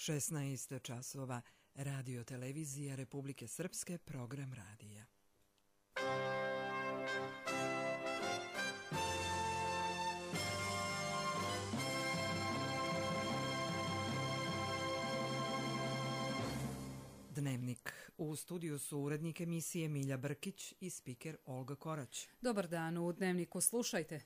16 časova, Radio televizija Republike Srpske, program radija. Dnevnik. U studiju su urednik emisije Milja Brkić i spiker Olga Korać. Dobar dan, u Dnevniku slušajte.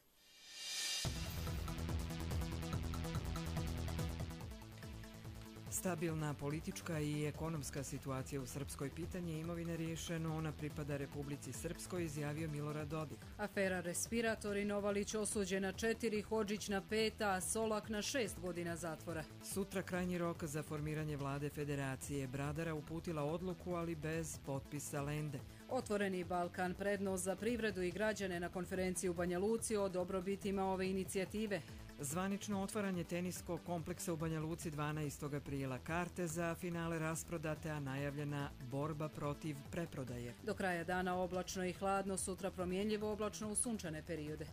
Stabilna politička i ekonomska situacija u Srpskoj, pitanje imovine riješeno, ona pripada Republici Srpskoj, izjavio Milorad Dodik. Afera respiratori, Novalić osuđen na 4, Hodžić na 5, a Solak na 6 godina zatvora. Sutra krajnji rok za formiranje vlade Federacije. Bradara uputila odluku, ali bez potpisa Lende. Otvoreni Balkan, prednost za privredu i građane na konferenciji u Banja Luci o dobrobitima ove inicijative. Zvanično otvaranje teniskog kompleksa u Banja Luci 12. aprila. Karte za finale rasprodate, a najavljena borba protiv preprodaje. Do kraja dana oblačno i hladno, sutra promjenljivo oblačno u sunčane periode.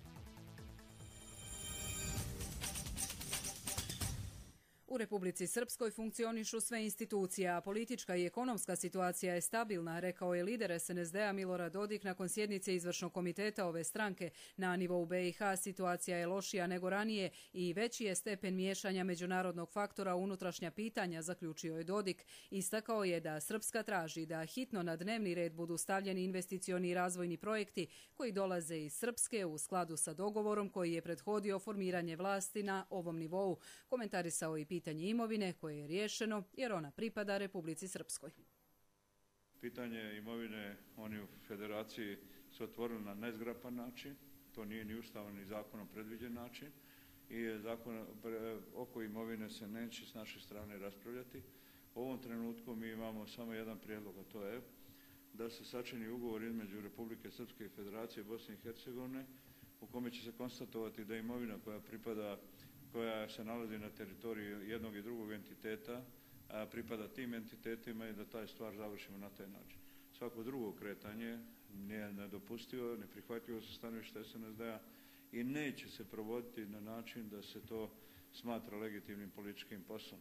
U Republici Srpskoj funkcionišu sve institucije, a politička i ekonomska situacija je stabilna, rekao je lider SNSD-a Milorad Dodik nakon sjednice izvršnog komiteta ove stranke. Na nivou BiH situacija je lošija nego ranije i veći je stepen miješanja međunarodnog faktora u unutrašnja pitanja, zaključio je Dodik. Istakao je da Srpska traži da hitno na dnevni red budu stavljeni investicioni i razvojni projekti koji dolaze iz Srpske u skladu sa dogovorom koji je prethodio formiranje vlasti na ovom nivou. Komentarisao i pitanje imovine koje je riješeno jer ona pripada Republici Srpskoj. Pitanje imovine oni u federaciji su otvorili na nezgrapan način, to nije ni ustavom ni zakonom predviđen način i zakon oko imovine se neće s naše strane raspravljati. U ovom trenutku mi imamo samo jedan prijedlog, a to je da se sačini ugovor između Republike Srpske i Federacije Bosne i Hercegovine u kome će se konstatovati da imovina koja se nalazi na teritoriji jednog i drugog entiteta, pripada tim entitetima i da taj stvar završimo na taj način. Svako drugo kretanje nije nedopustivo, neprihvatljivo sa stanovišta SNSD-a i neće se provoditi na način da se to smatra legitimnim političkim poslom.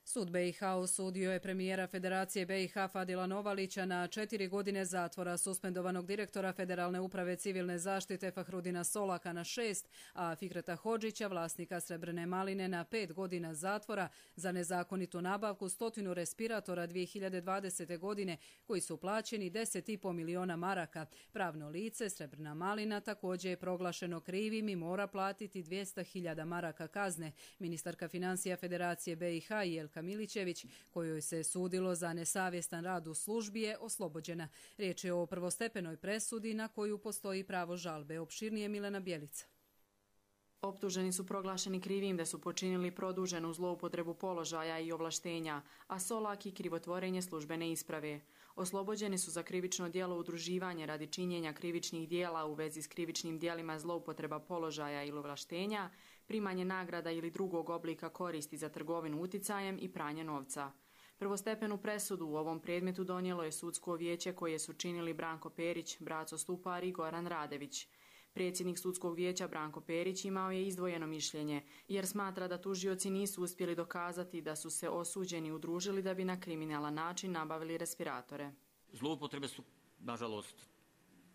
Sud BiH osudio je premijera Federacije BiH Fadila Novalića na 4 godine zatvora, suspendovanog direktora Federalne uprave civilne zaštite Fahrudina Solaka na 6, a Fikreta Hodžića, vlasnika Srebrne maline, na 5 godina zatvora za nezakonitu nabavku 100 respiratora 2020. godine koji su plaćeni 10,5 miliona maraka. Pravno lice Srebrna malina također je proglašeno krivim i mora platiti 200.000 maraka kazne. Ministarka financija Federacije BiH Jelka Milićević, kojoj se sudilo za nesavjestan rad u službi, je oslobođena. Riječ je o prvostepenoj presudi na koju postoji pravo žalbe. Opširnije Milena Bjelica. Optuženi su proglašeni krivim da su počinili produženu zloupotrebu položaja i ovlaštenja, a Solak i krivotvorenje službene isprave. Oslobođeni su za krivično djelo udruživanje radi činjenja krivičnih djela u vezi s krivičnim djelima zloupotreba položaja ili ovlaštenja, primanje nagrada ili drugog oblika koristi za trgovinu uticajem i pranje novca. Prvostepenu presudu u ovom predmetu donijelo je sudsko vijeće koje su činili Branko Perić, Braco Stupar i Goran Radević. Predsjednik sudskog vijeća Branko Perić imao je izdvojeno mišljenje jer smatra da tužioci nisu uspjeli dokazati da su se osuđeni udružili da bi na kriminalan način nabavili respiratore. Zloupotrebe su, nažalost,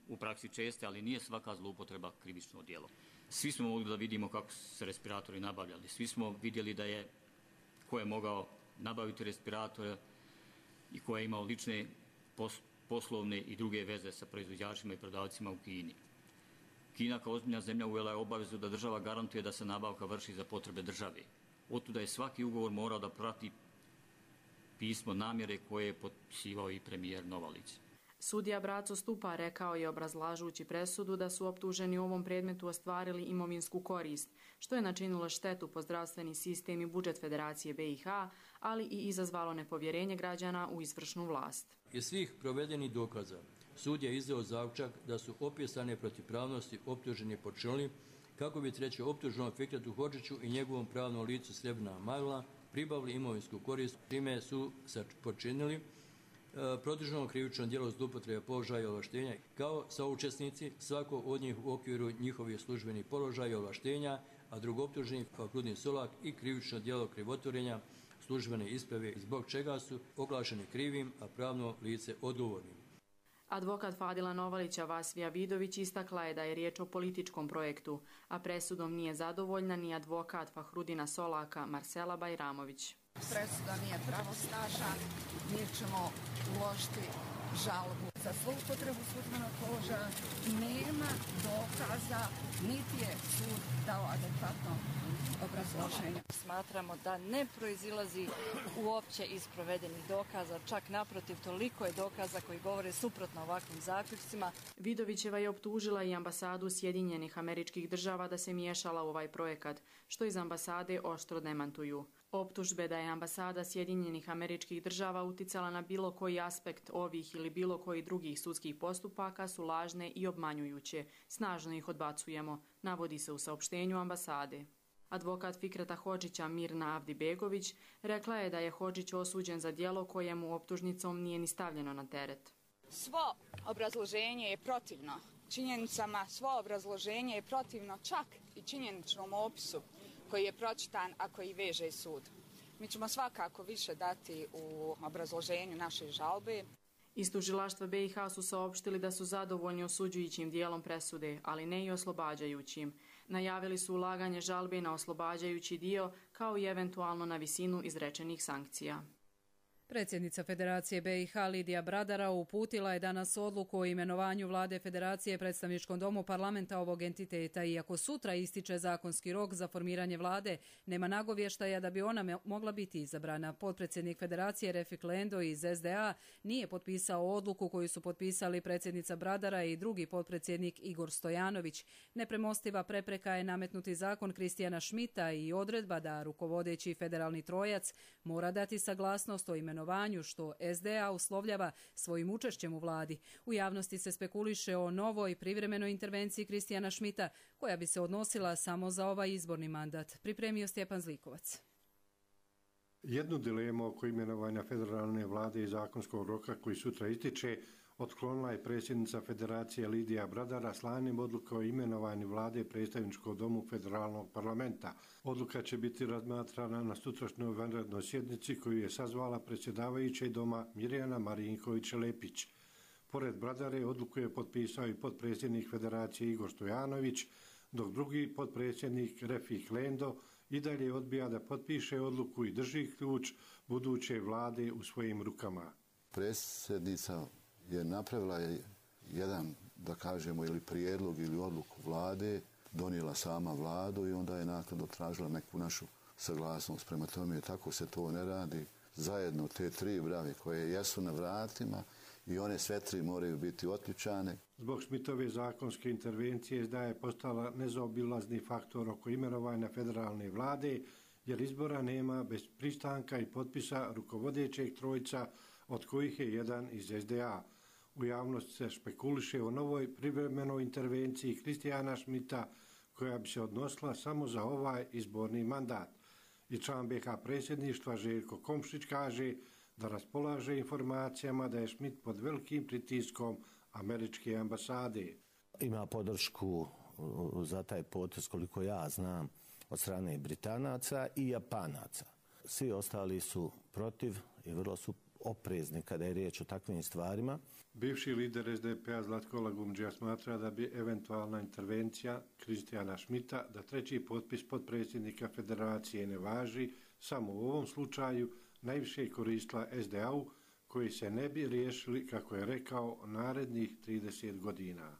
u praksi česte, ali nije svaka zloupotreba krivično djelo. Svi smo mogli da vidimo kako su se respiratori nabavljali. Svi smo vidjeli ko je mogao nabaviti respiratore i ko je imao lične poslovne i druge veze sa proizvođačima i prodavcima u Kini. Kina kao ozbiljna zemlja uvela je obavezu da država garantuje da se nabavka vrši za potrebe države. Otuda je svaki ugovor morao da prati pismo namjere koje je potpisivao i premijer Novalić. Sudija Braco Stupa rekao je obrazlažući presudu da su optuženi u ovom predmetu ostvarili imovinsku korist, što je načinilo štetu po zdravstveni sistem i budžet Federacije BiH, ali i izazvalo nepovjerenje građana u izvršnu vlast. Iz svih provedenih dokaza, sud je izdao zaključak da su opisane protivpravnosti optuženi počinili kako bi treće optuženom Fikretu Hodžiću i njegovom pravnom licu Srebrna magla pribavili imovinsku korist, čime su počinili produženo krivično djelo zloupotrebe položaja i ovlaštenja kao saučesnici, svako od njih u okviru njihovih službenih položaja i ovlaštenja, a drugo optuženi Fahrudin Solak i krivično djelo krivotvorenja službene isprave i zbog čega su oglašeni krivim, a pravno lice odgovornim. Advokat Fadila Novalića Vasvija Vidović istakla je da je riječ o političkom projektu, a presudom nije zadovoljna ni advokat Fahrudina Solaka Marsela Bajramović. Presuda nije pravosnažna, mi ćemo uložiti žalbu za zloupotrebu službenog položaja. Nema dokaza, niti je sud dao adekvatno obrazloženje. Smatramo da ne proizilazi uopće iz provedenih dokaza, čak naprotiv toliko je dokaza koji govore suprotno ovakvim zaključcima. Vidovićeva je optužila i ambasadu Sjedinjenih Američkih Država da se miješala u ovaj projekat, što iz ambasade oštro demantuju. Optužbe da je ambasada Sjedinjenih Američkih Država uticala na bilo koji aspekt ovih ili bilo koji drugih sudskih postupaka su lažne i obmanjujuće. Snažno ih odbacujemo, navodi se u saopštenju ambasade. Advokat Fikreta Hodžića Mirna Avdibegović rekla je da je Hodžić osuđen za djelo kojemu optužnicom nije ni stavljeno na teret. Svo obrazloženje je protivno činjenicama, svo obrazloženje je protivno čak i činjeničnom opisu koji je pročitan, a koji veže sud. Mi ćemo svakako više dati u obrazloženju naše žalbe. Iz tužilaštva BiH su saopštili da su zadovoljni osuđujućim dijelom presude, ali ne i oslobađajućim. Najavili su ulaganje žalbe na oslobađajući dio, kao i eventualno na visinu izrečenih sankcija. Predsjednica Federacije BiH Lidija Bradara uputila je danas odluku o imenovanju vlade Federacije predstavničkom domu parlamenta ovog entiteta. Iako sutra ističe zakonski rok za formiranje vlade, nema nagovještaja da bi ona mogla biti izabrana. Potpredsjednik Federacije Refik Lendo iz SDA nije potpisao odluku koju su potpisali predsjednica Bradara i drugi potpredsjednik Igor Stojanović. Nepremostiva prepreka je nametnuti zakon Kristijana Šmita i odredba da rukovodeći federalni trojac mora dati saglasnost o imenovanju, što SDA uslovljava svojim učešćem u vladi. U javnosti se spekuliše o novoj privremenoj intervenciji Kristijana Šmita, koja bi se odnosila samo za ovaj izborni mandat. Pripremio Stjepan Zlikovac. Jednu dilemu oko imenovanja federalne vlade i zakonskog roka koji sutra ističe otklonila je predsjednica Federacije Lidija Bradara slanjem odluke o imenovanju vlade predstavničkog domu federalnog parlamenta. Odluka će biti razmatrana na sutrašnjoj vanrednoj sjednici koju je sazvala predsjedavajuća doma Mirjana Marinković-Lepić. Pored Bradare odluku je potpisao i potpredsjednik Federacije Igor Stojanović, dok drugi potpredsjednik Refik Lendo i dalje odbija da potpiše odluku i drži ključ buduće vlade u svojim rukama. Predsjednica je napravila jedan, da kažemo, ili prijedlog ili odluku vlade, donijela sama vladu i onda je naknadno tražila neku našu saglasnost. Prema tome, tako se to ne radi. Zajedno te tri brave koje jesu na vratima i one sve tri moraju biti otključane. Zbog Šmitove zakonske intervencije SDA je postala nezaobilazni faktor oko imenovanja federalne vlade, jer izbora nema bez pristanka i potpisa rukovodećeg trojca, od kojih je jedan iz SDA. U javnosti se špekuliše o novoj privremenoj intervenciji Kristijana Šmita, koja bi se odnosila samo za ovaj izborni mandat. I član BiH predsjedništva Željko Komšić kaže da raspolaže informacijama da je Šmit pod velikim pritiskom američke ambasade. Ima podršku za taj potez, koliko ja znam, od strane Britanaca i Japanaca. Svi ostali su protiv i vrlo su oprezni kada je riječ o takvim stvarima. Bivši lider SDP-a Zlatko Lagumdžija smatra da bi eventualna intervencija Kristijana Šmita da treći potpis potpredsjednika Federacije ne važi, samo u ovom slučaju najviše koristila SDA-u, koji se ne bi riješili, kako je rekao, narednih 30 godina.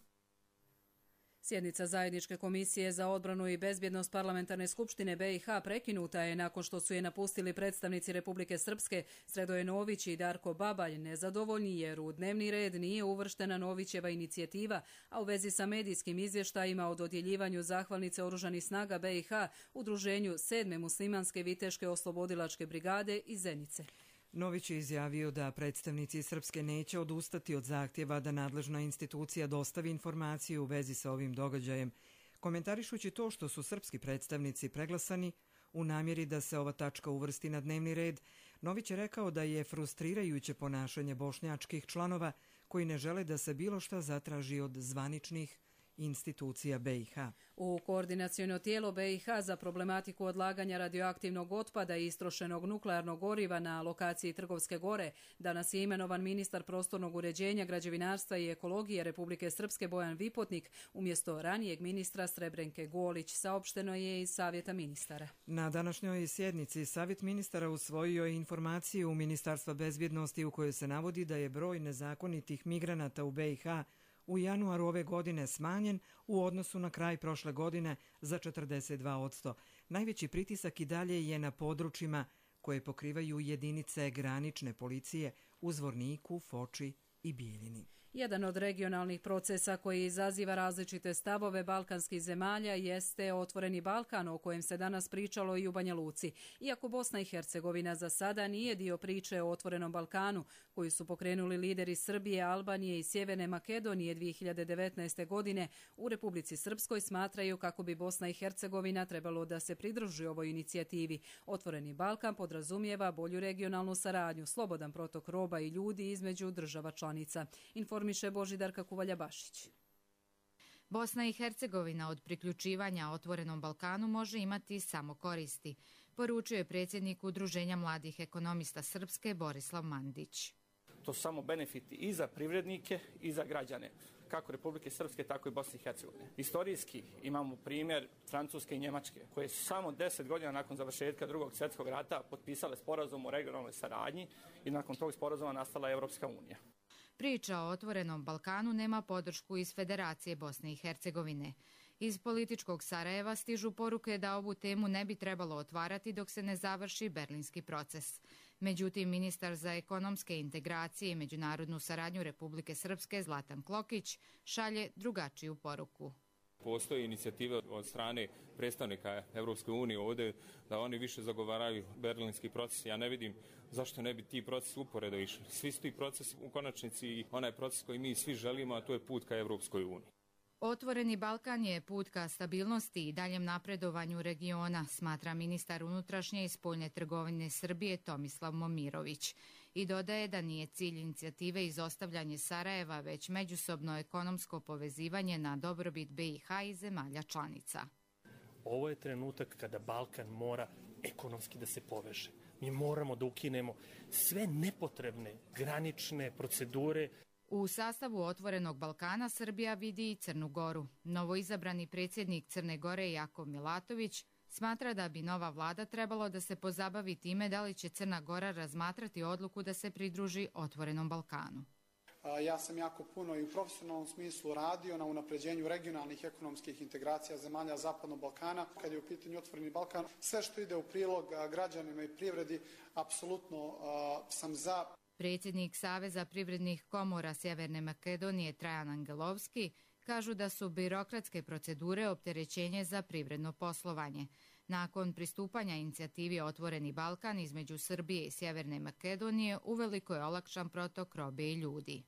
Sjednica Zajedničke komisije za odbranu i bezbjednost Parlamentarne skupštine BiH prekinuta je nakon što su je napustili predstavnici Republike Srpske Sredoje Nović i Darko Babalj, nezadovoljni jer u dnevni red nije uvrštena Novićeva inicijativa, a u vezi sa medijskim izvještajima o dodjeljivanju zahvalnice Oružanih snaga BiH udruženju 7. muslimanske viteške oslobodilačke brigade iz Zenice. Nović je izjavio da predstavnici Srpske neće odustati od zahtjeva da nadležna institucija dostavi informaciju u vezi sa ovim događajem, komentarišući to što su srpski predstavnici preglasani u namjeri da se ova tačka uvrsti na dnevni red. Nović je rekao da je frustrirajuće ponašanje bošnjačkih članova koji ne žele da se bilo šta zatraži od zvaničnih institucija BiH. U koordinaciono tijelo BiH za problematiku odlaganja radioaktivnog otpada i istrošenog nuklearnog goriva na lokaciji Trgovske gore danas je imenovan ministar prostornog uređenja, građevinarstva i ekologije Republike Srpske Bojan Vipotnik umjesto ranijeg ministra Srebrenke Golić, saopšteno je iz Savjeta ministara. Na današnjoj sjednici Savjet ministara usvojio je informaciju Ministarstva bezbjednosti u kojoj se navodi da je broj nezakonitih migranata u BiH u januaru ove godine smanjen u odnosu na kraj prošle godine za 42%. Najveći pritisak i dalje je na područjima koje pokrivaju jedinice granične policije u Zvorniku, Foči i Bijeljini. Jedan od regionalnih procesa koji izaziva različite stavove balkanskih zemalja jeste Otvoreni Balkan, o kojem se danas pričalo i u Banja Luci. Iako Bosna i Hercegovina za sada nije dio priče o Otvorenom Balkanu, koju su pokrenuli lideri Srbije, Albanije i Sjeverne Makedonije 2019. godine, u Republici Srpskoj smatraju kako bi Bosna i Hercegovina trebalo da se pridruži ovoj inicijativi. Otvoreni Balkan podrazumijeva bolju regionalnu saradnju, slobodan protok roba i ljudi između država članica. Informiše Božidarka Kuvalja-Bašić. Bosna i Hercegovina od priključivanja Otvorenom Balkanu može imati samo koristi, poručio je predsjednik Udruženja mladih ekonomista Srpske Borislav Mandić. To su samo benefiti i za privrednike i za građane, kako Republike Srpske, tako i Bosne i Hercegovine. Istorijski imamo primjer Francuske i Njemačke, koje su samo 10 godina nakon završetka Drugog svjetskog rata potpisale sporazum o regionalnoj saradnji i nakon tog sporazuma nastala Evropska unija. Priča o Otvorenom Balkanu nema podršku iz Federacije Bosne i Hercegovine. Iz političkog Sarajeva stižu poruke da ovu temu ne bi trebalo otvarati dok se ne završi berlinski proces. Međutim, ministar za ekonomske integracije i međunarodnu saradnju Republike Srpske Zlatan Klokić šalje drugačiju poruku. Postoji inicijativa od strane predstavnika Evropske unije ovdje da oni više zagovaraju berlinski proces. Ja ne vidim zašto ne bi ti procesi uporedo išli. Svi su ti procesi u konačnici i onaj proces koji mi svi želimo, a to je put ka Evropskoj uniji. Otvoreni Balkan je put ka stabilnosti i daljem napredovanju regiona, smatra ministar unutrašnje i spoljne trgovine Srbije Tomislav Momirović. I dodaje da nije cilj inicijative izostavljanje Sarajeva, već međusobno ekonomsko povezivanje na dobrobit BiH i zemalja članica. Ovo je trenutak kada Balkan mora ekonomski da se poveže. Mi moramo da ukinemo sve nepotrebne granične procedure. U sastavu Otvorenog Balkana Srbija vidi i Crnu Goru. Novoizabrani predsjednik Crne Gore Jakov Milatović smatra da bi nova vlada trebalo da se pozabavi time da li će Crna Gora razmatrati odluku da se pridruži Otvorenom Balkanu. Ja sam jako puno i u profesionalnom smislu radio na unapređenju regionalnih ekonomskih integracija zemalja Zapadnog Balkana. Kad je u pitanju Otvoreni Balkan, sve što ide u prilog građanima i privredi, apsolutno sam za. Predsjednik Saveza privrednih komora Sjeverne Makedonije Trajan Angelovski kažu da su birokratske procedure opterećenje za privredno poslovanje. Nakon pristupanja inicijativi Otvoreni Balkan između Srbije i Sjeverne Makedonije uveliko je olakšan protok robe i ljudi.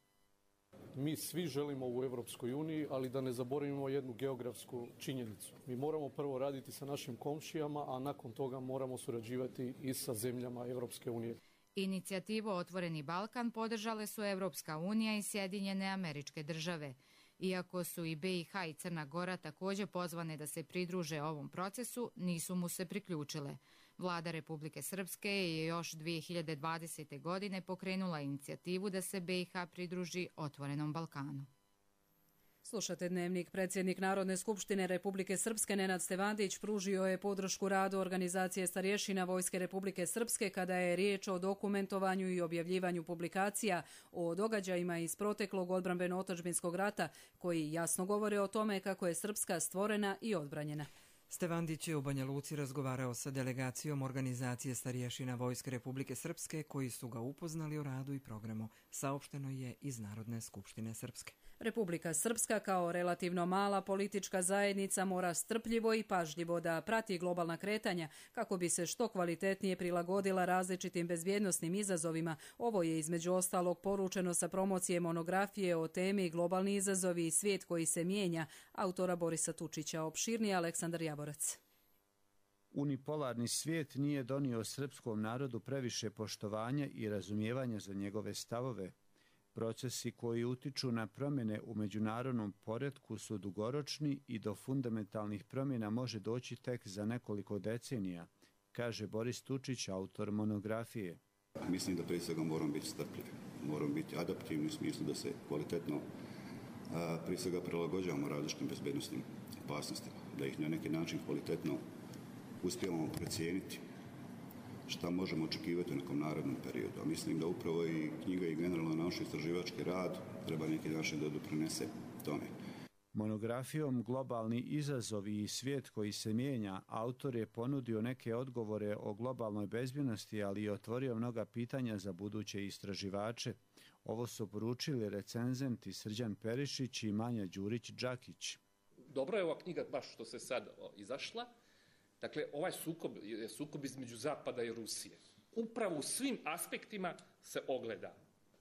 Mi svi želimo u Evropskoj uniji, ali da ne zaboravimo jednu geografsku činjenicu. Mi moramo prvo raditi sa našim komšijama, a nakon toga moramo surađivati i sa zemljama Evropske unije. Inicijativu Otvoreni Balkan podržale su Evropska unija i Sjedinjene Američke Države. Iako su i BiH i Crna Gora također pozvane da se pridruže ovom procesu, nisu mu se priključile. Vlada Republike Srpske je još 2020. godine pokrenula inicijativu da se BiH pridruži Otvorenom Balkanu. Slušate Dnevnik. Predsjednik Narodne skupštine Republike Srpske Nenad Stevandić pružio je podršku radu organizacije starješina Vojske Republike Srpske kada je riječ o dokumentovanju i objavljivanju publikacija o događajima iz proteklog odbrambeno-otadžbinskog rata koji jasno govore o tome kako je Srpska stvorena i odbranjena. Stevandić je u Banja Luci razgovarao sa delegacijom organizacije starješina Vojske Republike Srpske koji su ga upoznali o radu i programu, saopšteno je iz Narodne skupštine Srpske. Republika Srpska kao relativno mala politička zajednica mora strpljivo i pažljivo da prati globalna kretanja kako bi se što kvalitetnije prilagodila različitim bezbjednosnim izazovima. Ovo je između ostalog poručeno sa promocije monografije o temi Globalni izazovi i svijet koji se mijenja, autora Borisa Tučića. Opširnije Aleksandar Javorac. Unipolarni svijet nije donio srpskom narodu previše poštovanja i razumijevanja za njegove stavove. Procesi koji utiču na promjene u međunarodnom poretku su dugoročni i do fundamentalnih promjena može doći tek za nekoliko decenija, kaže Boris Tučić, autor monografije. Mislim da prije svega moramo biti strpljivi, moramo biti adaptivni u smislu da se kvalitetno prije svega prilagođavamo različitim bezbednosnim opasnostima, da ih na neki način kvalitetno uspijemo procijeniti šta možemo očekivati u nekom narednom periodu. A mislim da upravo i knjiga i generalno naučno-istraživački rad treba neki način da doprinese tome. Monografijom Globalni izazovi i svijet koji se mijenja, autor je ponudio neke odgovore o globalnoj bezbjednosti, ali i otvorio mnoga pitanja za buduće istraživače. Ovo su poručili recenzenti Srđan Perišić i Manja Đurić-Đakić. Dobro je ova knjiga baš što se sad izašla. Dakle, ovaj sukob između Zapada i Rusije upravo u svim aspektima se ogleda.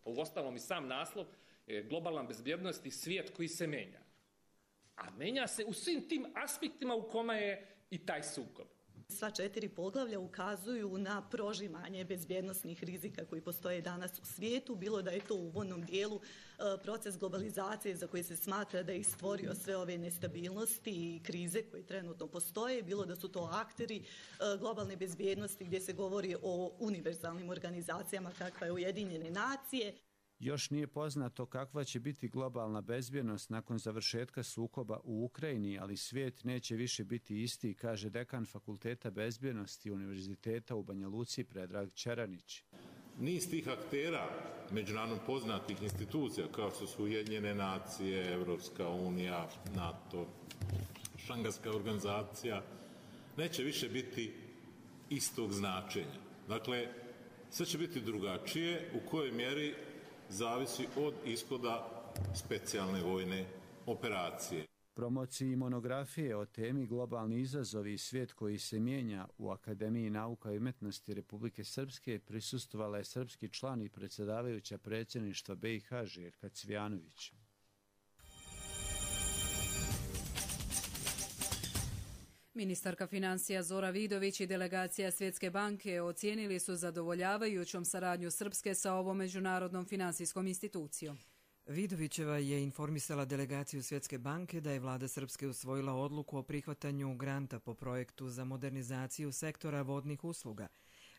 Uostalom i sam naslov je globalna bezbjednost i svijet koji se menja. A menja se u svim tim aspektima u kome je i taj sukob. Sva 4 poglavlja ukazuju na prožimanje bezbjednosnih rizika koji postoje danas u svijetu, bilo da je to u uvodnom dijelu proces globalizacije za koji se smatra da je stvorio sve ove nestabilnosti i krize koje trenutno postoje, bilo da su to akteri globalne bezbjednosti gdje se govori o univerzalnim organizacijama kakva je Ujedinjene nacije. Još nije poznato kakva će biti globalna bezbjednost nakon završetka sukoba u Ukrajini, ali svijet neće više biti isti, kaže dekan Fakulteta bezbjednosti Univerziteta u Banja Luci Predrag Čeranić. Niz tih aktera međunarodno poznatih institucija kao što su Ujedinjene nacije, Evropska unija, NATO, Šangajska organizacija, neće više biti istog značenja. Dakle, sve će biti drugačije, u kojoj mjeri zavisi od ishoda specijalne vojne operacije. Promociji monografije o temi Globalni izazovi i svijet koji se mijenja u Akademiji nauka i umetnosti Republike Srpske prisustvovala je srpski član i predsjedavajuća predsjedništva BiH Željka Cvijanović. Ministarka financija Zora Vidović i delegacija Svjetske banke ocijenili su zadovoljavajućom saradnju Srpske sa ovom međunarodnom finansijskom institucijom. Vidovićeva je informisala delegaciju Svjetske banke da je vlada Srpske usvojila odluku o prihvatanju granta po projektu za modernizaciju sektora vodnih usluga.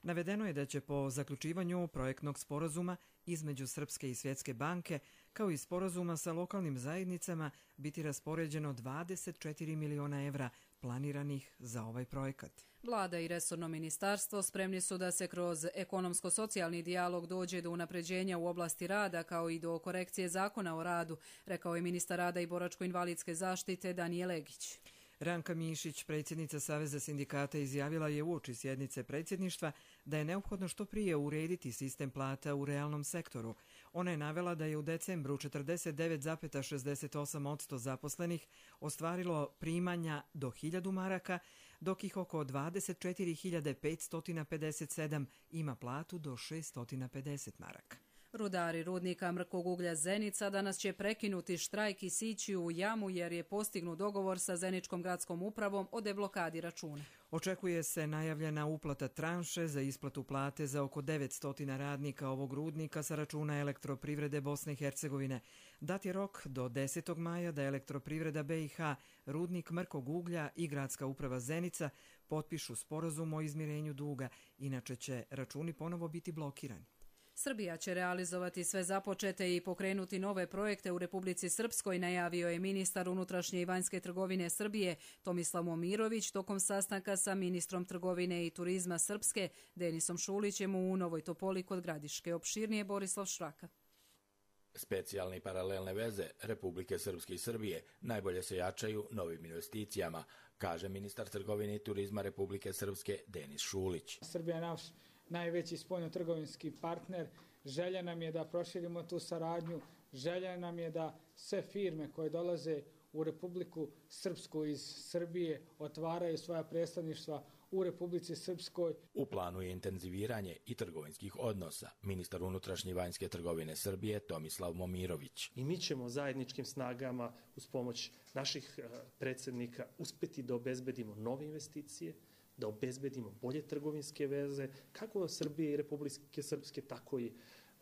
Navedeno je da će po zaključivanju projektnog sporazuma između Srpske i Svjetske banke, kao i sporazuma sa lokalnim zajednicama, biti raspoređeno 24 miliona evra planiranih za ovaj projekat. Vlada i resorno ministarstvo spremni su da se kroz ekonomsko-socijalni dijalog dođe do unapređenja u oblasti rada kao i do korekcije zakona o radu, rekao je ministar rada i boračko-invalidske zaštite Danijel Egić. Ranka Mišić, predsjednica Saveza sindikata, izjavila je uoči sjednice predsjedništva da je neophodno što prije urediti sistem plata u realnom sektoru. Ona je navela da je u decembru 49,68% zaposlenih ostvarilo primanja do 1000 maraka, dok ih oko 24.557 ima platu do 650 maraka. Rudari rudnika mrkog uglja Zenica danas će prekinuti štrajk i sići u jamu jer je postignut dogovor sa Zeničkom gradskom upravom o deblokadi računa. Očekuje se najavljena uplata tranše za isplatu plate za oko 900 radnika ovog rudnika sa računa Elektroprivrede Bosne i Hercegovine. Dat je rok do 10. maja da Elektroprivreda BiH, rudnik mrkog uglja i Gradska uprava Zenica potpišu sporazum o izmirenju duga, inače će računi ponovo biti blokirani. Srbija će realizovati sve započete i pokrenuti nove projekte u Republici Srpskoj, najavio je ministar unutrašnje i vanjske trgovine Srbije Tomislav Momirović tokom sastanka sa ministrom trgovine i turizma Srpske Denisom Šulićem u Novoj Topoli kod Gradiške. Opširnije Borislav Šraka. Specijalne i paralelne veze Republike Srpske i Srbije najbolje se jačaju novim investicijama, kaže ministar trgovine i turizma Republike Srpske Denis Šulić. Srbija je naš najveći spoljno-trgovinski partner. Želja nam je da proširimo tu saradnju, želja nam je da sve firme koje dolaze u Republiku Srpsku iz Srbije otvaraju svoja predstavništva u Republici Srpskoj. U planu je intenziviranje i trgovinskih odnosa. Ministar unutrašnje i vanjske trgovine Srbije Tomislav Momirović. I mi ćemo zajedničkim snagama uz pomoć naših predsjednika uspjeti da obezbedimo nove investicije, da obezbedimo bolje trgovinske veze, kako Srbije i Republike Srpske, tako i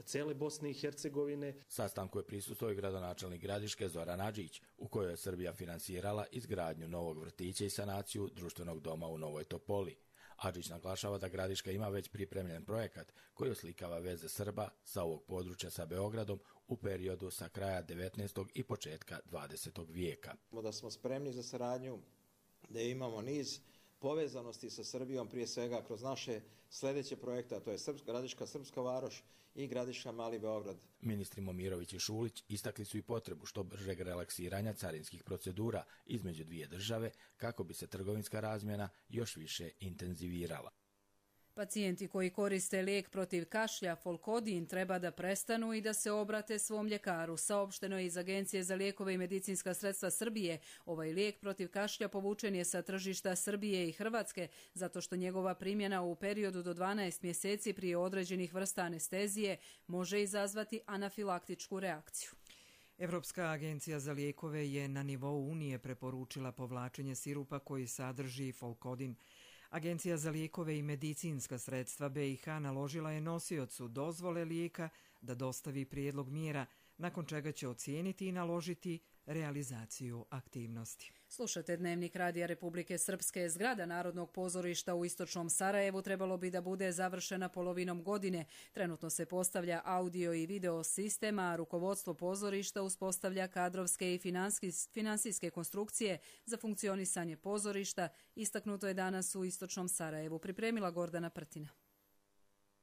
cele Bosne i Hercegovine. Sastanku je prisustvovao i gradonačelnik Gradiške Zoran Adžić, u kojoj je Srbija finansirala izgradnju novog vrtića i sanaciju društvenog doma u Novoj Topoli. Adžić naglašava da Gradiška ima već pripremljen projekat koji oslikava veze Srba sa ovog područja sa Beogradom u periodu sa kraja 19. i početka 20. vijeka. Da smo spremni za saradnju, da imamo niz povezanosti sa Srbijom, prije svega kroz naše sljedeće projekte, a to je Gradiška Srpska varoš i Gradiška Mali Beograd. Ministri Momirović i Šulić istakli su i potrebu što bržeg relaksiranja carinskih procedura između dvije države kako bi se trgovinska razmjena još više intenzivirala. Pacijenti koji koriste lijek protiv kašlja Folkodin treba da prestanu i da se obrate svom ljekaru. Saopšteno je iz Agencije za lijekove i medicinska sredstva Srbije. Ovaj lijek protiv kašlja povučen je sa tržišta Srbije i Hrvatske zato što njegova primjena u periodu do 12 mjeseci prije određenih vrsta anestezije može izazvati anafilaktičku reakciju. Evropska agencija za lijekove je na nivou Unije preporučila povlačenje sirupa koji sadrži Folkodin. Agencija za lijekove i medicinska sredstva BiH naložila je nosiocu dozvole lijeka da dostavi prijedlog mjera, nakon čega će ocijeniti i naložiti realizaciju aktivnosti. Slušate Dnevnik Radija Republike Srpske. Zgrada Narodnog pozorišta u istočnom Sarajevu trebalo bi da bude završena polovinom godine. Trenutno se postavlja audio i video sistema, a rukovodstvo pozorišta uspostavlja kadrovske i finansijske konstrukcije za funkcionisanje pozorišta. Istaknuto je danas u istočnom Sarajevu. Pripremila Gordana Prtina.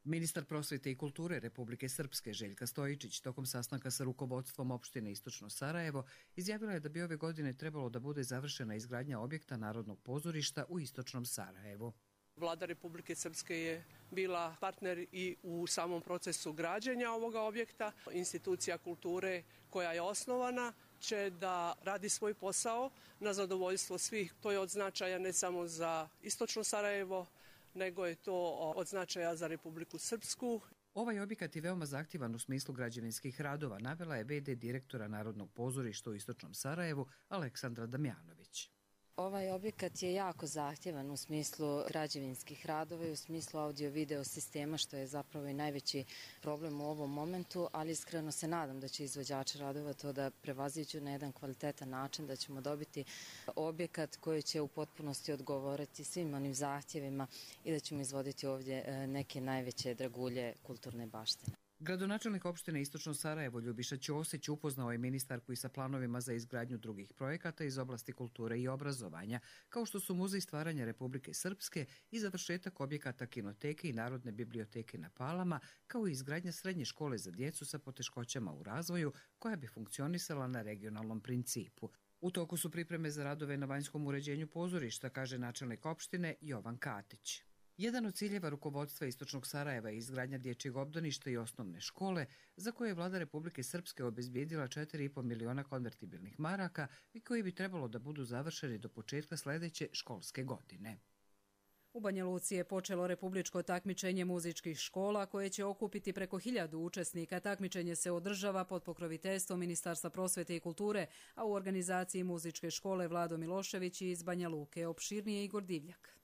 Ministar prosvete i kulture Republike Srpske Željka Stojičić tokom sastanka sa rukovodstvom opštine Istočno Sarajevo izjavila je da bi ove godine trebalo da bude završena izgradnja objekta Narodnog pozorišta u Istočnom Sarajevu. Vlada Republike Srpske je bila partner i u samom procesu građenja ovoga objekta. Institucija kulture koja je osnovana će da radi svoj posao na zadovoljstvo svih. To je od značaja ne samo za Istočno Sarajevo, nego je to od značaja za Republiku Srpsku. Ovaj objekat je veoma zahtjevan u smislu građevinskih radova, navela je v.d. direktora Narodnog pozorišta u Istočnom Sarajevu Aleksandra Damjanović. Ovaj objekat je jako zahtjevan u smislu građevinskih radova i u smislu audio-video sistema, što je zapravo i najveći problem u ovom momentu, ali iskreno se nadam da će izvođači radova to da prevaziđu na jedan kvalitetan način, da ćemo dobiti objekat koji će u potpunosti odgovoriti svim onim zahtjevima i da ćemo izvoditi ovdje neke najveće dragulje kulturne baštine. Gradonačelnik opštine Istočno Sarajevo Ljubiša Ćosić upoznao je ministarku i sa planovima za izgradnju drugih projekata iz oblasti kulture i obrazovanja, kao što su Muzej stvaranja Republike Srpske i završetak objekata kinoteke i Narodne biblioteke na Palama, kao i izgradnja srednje škole za djecu sa poteškoćama u razvoju, koja bi funkcionisala na regionalnom principu. U toku su pripreme za radove na vanjskom uređenju pozorišta, kaže načelnik opštine Jovan Katić. Jedan od ciljeva rukovodstva Istočnog Sarajeva je izgradnja dječjeg obdaništa i osnovne škole, za koje je vlada Republike Srpske obezbijedila 4,5 miliona konvertibilnih maraka i koji bi trebalo da budu završeni do početka sljedeće školske godine. U Banja Luci je počelo republičko takmičenje muzičkih škola koje će okupiti preko 1000 učesnika. Takmičenje se održava pod pokroviteljstvom Ministarstva prosvete i kulture, a u organizaciji muzičke škole Vlado Milošević iz Banja Luke. Opširnije Igor Divljak.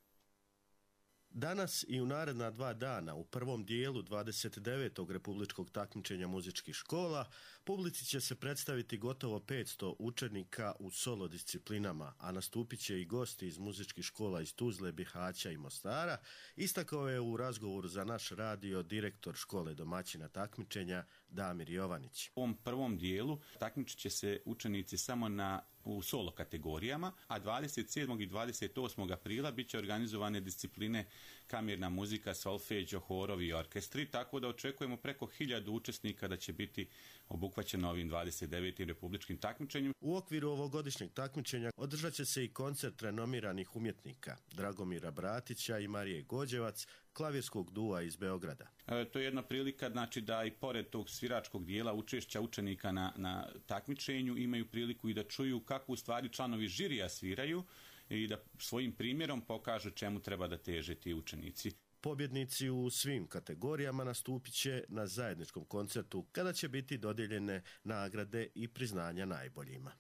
Danas i u naredna 2 dana u prvom dijelu 29. republičkog takmičenja muzičkih škola publici će se predstaviti gotovo 500 učenika u solo disciplinama, a nastupit će i gosti iz muzičkih škola iz Tuzle, Bihaća i Mostara, istakao je u razgovoru za naš radio direktor škole domaćina takmičenja Damir Jovanić. U ovom prvom dijelu takmičit će se učenici samo u solo kategorijama, a 27. i 28. aprila bit će organizovane discipline kamerna muzika, solfeđo, horovi i orkestri, tako da očekujemo preko 1000 učesnika da će biti obuhvaćeno ovim 29. republičkim takmičenjem. U okviru ovogodišnjeg takmičenja održat će se i koncert renomiranih umjetnika Dragomira Bratića i Marije Gođevac, klavirskog dua iz Beograda. To je jedna prilika, znači da i pored tog sviračkog dijela učešća učenika na takmičenju imaju priliku i da čuju kako u stvari članovi žirija sviraju i da svojim primjerom pokažu čemu treba da teže ti učenici. Pobjednici u svim kategorijama nastupit će na zajedničkom koncertu kada će biti dodijeljene nagrade i priznanja najboljima.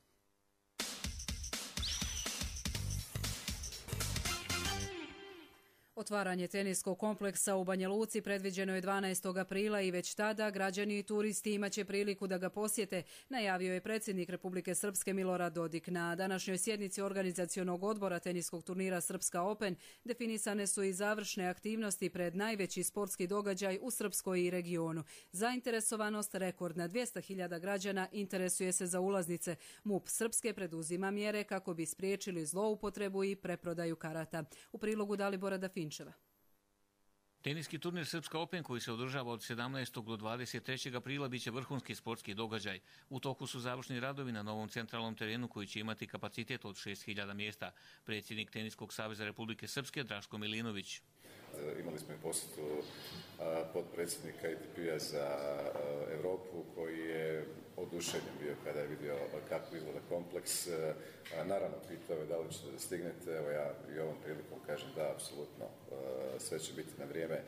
Otvaranje teniskog kompleksa u Banja Luci predviđeno je 12. aprila i već tada građani i turisti imaće priliku da ga posjete, najavio je predsjednik Republike Srpske Milorad Dodik. Na današnjoj sjednici organizacionog odbora teniskog turnira Srpska Open definisane su i završne aktivnosti pred najveći sportski događaj u Srpskoj i regionu. Zainteresovanost rekordna 200.000 građana interesuje se za ulaznice. MUP Srpske preduzima mjere kako bi spriječili zloupotrebu i preprodaju karata. U prilogu Dalibora Dafinčeva. Teniski turnir Srpska Open koji se održava od 17. do 23. aprila biće vrhunski sportski događaj. U toku su završni radovi na novom centralnom terenu koji će imati kapacitet od 6.000 mjesta. Predsjednik Teniskog saveza Republike Srpske Draško Milinović. Imali smo i posjetu potpredsjednika ITP-a za Europu koji je oduševljen bio kada je vidio kako izgleda kompleks. Naravno, pitao je da li stignete, evo ja i ovom prilikom kažem da, apsolutno, sve će biti na vrijeme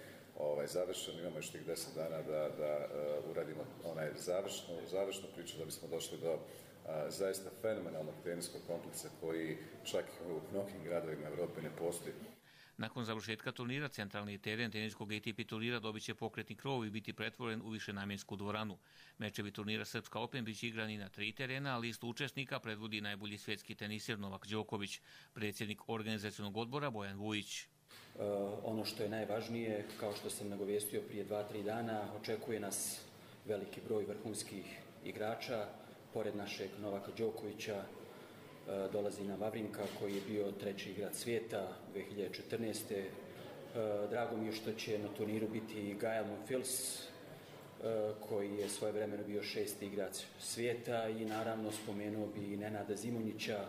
završeno. Imamo još tih 10 dana da uradimo onaj završnu priču da bismo došli do zaista fenomenalnog teniskog kompleksa koji čak u mnogim gradovima Europe ne postoji. Nakon završetka turnira, centralni teren teniskog ATP turnira dobit će pokretni krov i biti pretvoren u višenamjensku dvoranu. Mečevi turnira Srpska Open biće igrani na 3 terena, a listu učesnika predvodi najbolji svjetski teniser Novak Đoković. Predsjednik organizacionog odbora Bojan Vujić. Ono što je najvažnije, kao što sam nagovijestio prije 2-3 dana, očekuje nas veliki broj vrhunskih igrača. Pored našeg Novaka Đokovića dolazi nam Vavrinka koji je bio 3. igrač svijeta 2014. Drago mi je što će na turniru biti Gael Monfils koji je svojevremeno bio 6. igrač svijeta i naravno spomenuo bi i Nenada Zimonjića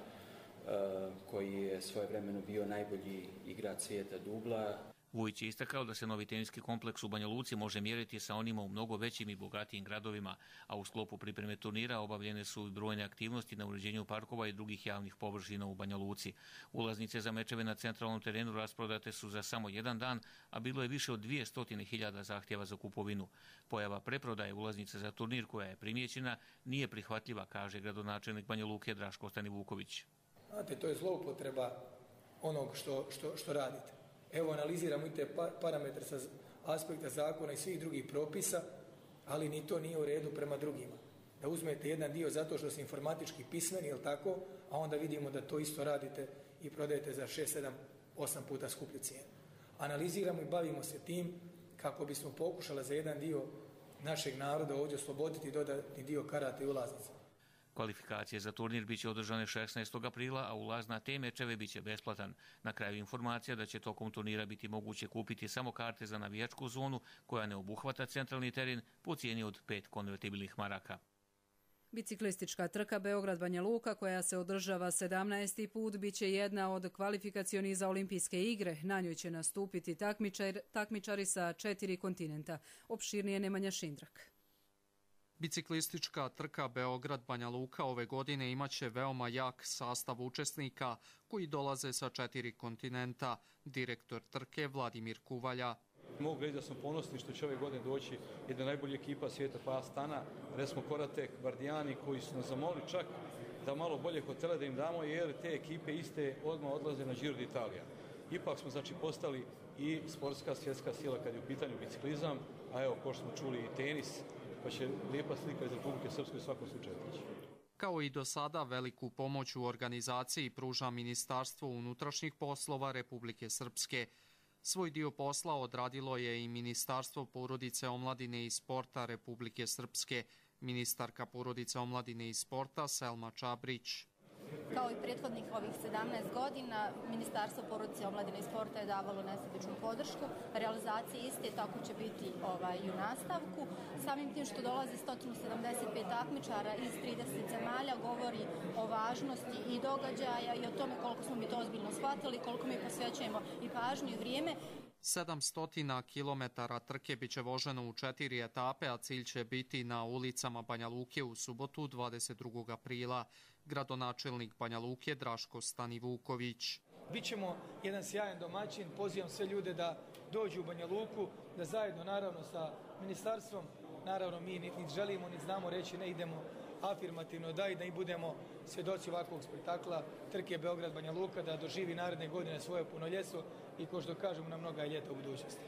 koji je svojevremeno bio najbolji igrač svijeta dubla. Vujić je istakao da se novi teniski kompleks u Banja Luci može mjeriti sa onima u mnogo većim i bogatijim gradovima, a u sklopu pripreme turnira obavljene su brojne aktivnosti na uređenju parkova i drugih javnih površina u Banja Luci. Ulaznice za mečeve na centralnom terenu rasprodate su za samo jedan dan, a bilo je više od 200.000 zahtjeva za kupovinu. Pojava preprodaje ulaznice za turnir koja je primijećena nije prihvatljiva, kaže gradonačelnik Banja Luke Draško Stanivuković. Znate, to je zloupotreba onog što radite. Evo, analiziramo i te parametre sa aspekta zakona i svih drugih propisa, ali ni to nije u redu prema drugima. Da uzmete jedan dio zato što ste informatički pismeni, jel tako, a onda vidimo da to isto radite i prodajete za 6, 7, 8 puta skuplju cijenu. Analiziramo i bavimo se tim kako bismo pokušali za jedan dio našeg naroda ovdje osloboditi dodatni dio karata i ulaznica. Kvalifikacije za turnir biće održane 16. aprila, a ulaz na te mečeve biće besplatan. Na kraju informacija da će tokom turnira biti moguće kupiti samo karte za navijačku zonu koja ne obuhvata centralni teren po cijeni od 5 konvertibilnih maraka. Biciklistička trka Beograd-Banja Luka koja se održava 17. put biće jedna od kvalifikacionih za olimpijske igre. Na njoj će nastupiti takmičari sa 4 kontinenta. Opširnije Nemanja Šindrak. Biciklistička trka Beograd-Banja Luka ove godine imaće veoma jak sastav učesnika koji dolaze sa 4 kontinenta. Direktor trke Vladimir Kuvalja. Mogu reći da smo ponosni što će ove godine doći jedna najbolja ekipa svijeta pa Astana, Resmo Koratek, Bardijani koji su nas zamolili čak da malo bolje hotele da im damo jer te ekipe iste odmah odlaze na Giro d'Italia. Ipak smo postali i sportska svjetska sila kad je u pitanju biciklizam, a evo ko što smo čuli i tenis, pa će lijepa slika iz Republike Srpske u svakom slučaju teći. Kao i do sada, veliku pomoć u organizaciji pruža Ministarstvo unutrašnjih poslova Republike Srpske. Svoj dio posla odradilo je i Ministarstvo porodice, omladine i sporta Republike Srpske, ministarka porodice, omladine i sporta Selma Čabrić. Kao i prethodnih ovih 17 godina, Ministarstvo porodice, omladine i sporta je davalo nesebičnu podršku. Realizacija iste tako će biti i u nastavku. Samim tim što dolazi 175 takmičara iz 30 zemalja govori o važnosti i događaja i o tome koliko smo mi to ozbiljno shvatili, koliko mi posvećujemo i pažnju i vrijeme. 700 kilometara trke biće voženo u 4 etape, a cilj će biti na ulicama Banja Luke u subotu 22. aprila. Gradonačelnik Banja Luke Draško Stanivuković. Bićemo jedan sjajan domaćin, pozivam sve ljude da dođu u Banja Luku, da zajedno naravno sa ministarstvom, naravno mi niti želimo, niti znamo reći ne idemo, afirmativno da i da i budemo svjedoci ovakvog spektakla trke Beograd-Banja Luka, da doživi naredne godine svoje punoljetstvo i ko što kažemo na mnoga ljeta u budućnosti.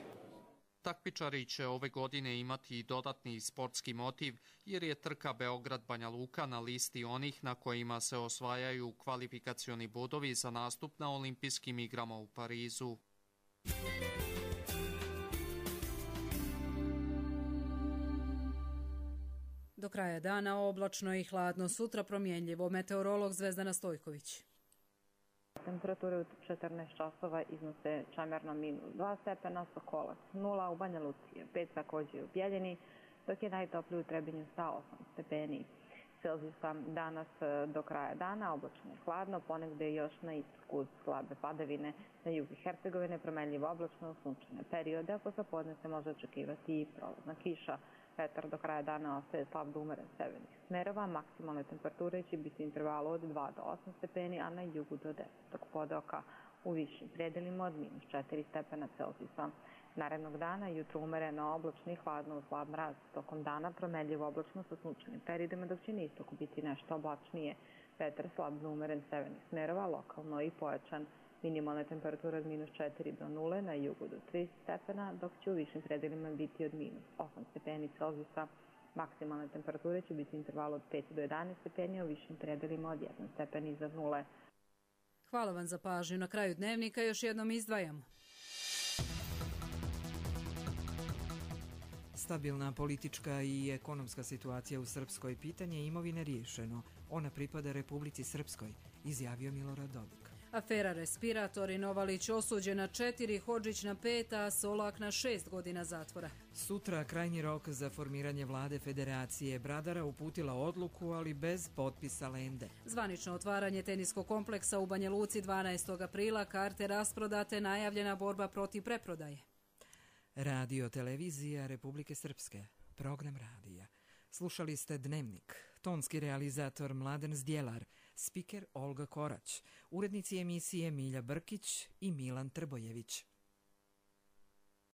Takmičari će ove godine imati i dodatni sportski motiv jer je trka Beograd-Banja Luka na listi onih na kojima se osvajaju kvalifikacioni bodovi za nastup na olimpijskim igrama u Parizu. Do kraja dana oblačno i hladno, sutra promjenljivo. Meteorolog Zvezdana Stojković. Temperature u 14 časova iznose Čamerno -2 stepena, Sokolac 0, u Banja Luci 5 također u Bjeljini, dok je najtopliji u Trebinju sa 8 stepeni Celzijusa. Danas do kraja dana oblačno i hladno, ponegde još na istoku slabe padavine, na jugu Hercegovine promenljivo oblačno, sunčane periode, a posle podne se može očekivati i prolazna kiša. Vetar do kraja dana ostaje slab do umeren severnih smerova, maksimalne temperature će biti intervalu od 2 do 8 stepeni, a na jugu do 10, dok podoka u višim predelima od -4 stepena Celzijusa. Narednog dana jutro umereno oblačno i hladno uz slab mraz, tokom dana promenljivo oblačno sa sunčanim periodima, dok će na istoku biti nešto oblačnije. Vetar slab do umeren severnih smerova, lokalno i pojačan. Minimalne temperature od -4 do 0, na jugu do 3 stepena, dok će u višim predelima biti od -8 stepeni Celzijusa. Maksimalne temperature će biti intervalu od 5 do 11 stepeni, a u višim predelima od 1 stepen iznad 0. Hvala vam za pažnju. Na kraju dnevnika još jednom izdvajamo. Stabilna politička i ekonomska situacija u Srpskoj, pitanje imovine riješeno. Ona pripada Republici Srpskoj, izjavio Milorad Dodik. Afera Respiratori, Novalić osuđena 4, Hodžić na 5, a Solak na 6 godina zatvora. Sutra krajnji rok za formiranje vlade Federacije. Bradara uputila odluku, ali bez potpisa Lende. Zvanično otvaranje teniskog kompleksa u Banja Luci 12. aprila, karte rasprodate, najavljena borba protiv preprodaje. Radio televizija Republike Srpske, program radija. Slušali ste Dnevnik, tonski realizator Mladen Zdjelar, spiker Olga Korać, urednici emisije Milja Brkić i Milan Trbojević.